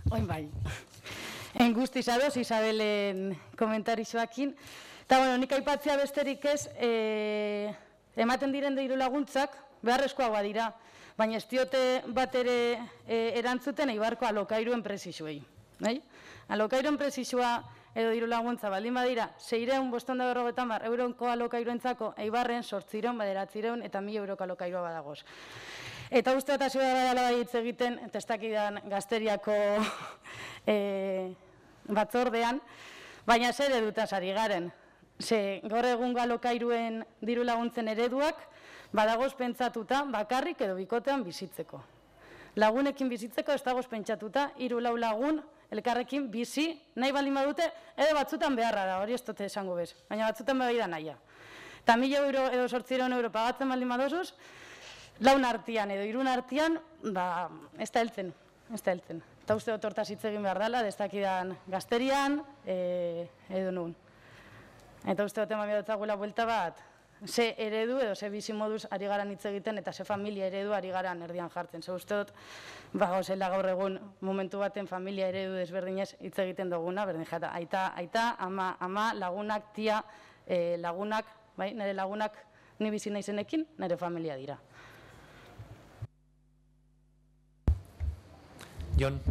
Oin bai. Guztiz ados, Isabelen komentarixoakin. Eta, bueno, nik aipatzea besterik ez, ematen diren diru laguntzak, beharrezkoagoa dira, baina ez diote bat ere erantzuten Eibarko alokairuen prezisuei. Alokairuen prezisua edo diru laguntza baldin badira, 650 euroko alokairuentzako Eibarren 800, 900 eta 1000 euroko alokairua badagoz. Eta uste eta zua dela hitz egiten, testakidan Gazteriako batzordean, baina zer edutaz ari garen. Ze gaur egungo alokairuen diru laguntzen ereduak badagoz pentsatuta bakarrik edo bikotean bizitzeko. Lagunekin bizitzeko ez dagoz pentsatuta 3-4 lagun elkarrekin bizi nahi baldin badute, edo batzutan beharra da, hori ez dute esango bez, baina batzutan bai da nahia. Eta 1000 euro edo 800 euro pagatzen baldin badozuz, laun artean edo irun artean, ez da heltzen, ez da heltzen. Eta uste dut hortaz hitz egin behar dela, destakidan Gazterian, edo nun. Eta uste dut eman behar dutzaguela buelta bat, ze eredu edo ze bizi moduz ari garan hitz egiten eta ze familia eredu ari garan erdian jartzen. Ze uste dut, gauzela gaur egun momentu baten familia eredu desberdinez hitz egiten duguna, berdin jata, aita, ama, lagunak, tia, lagunak, nire lagunak ni bizi naizenekin, nire familia dira. Jon.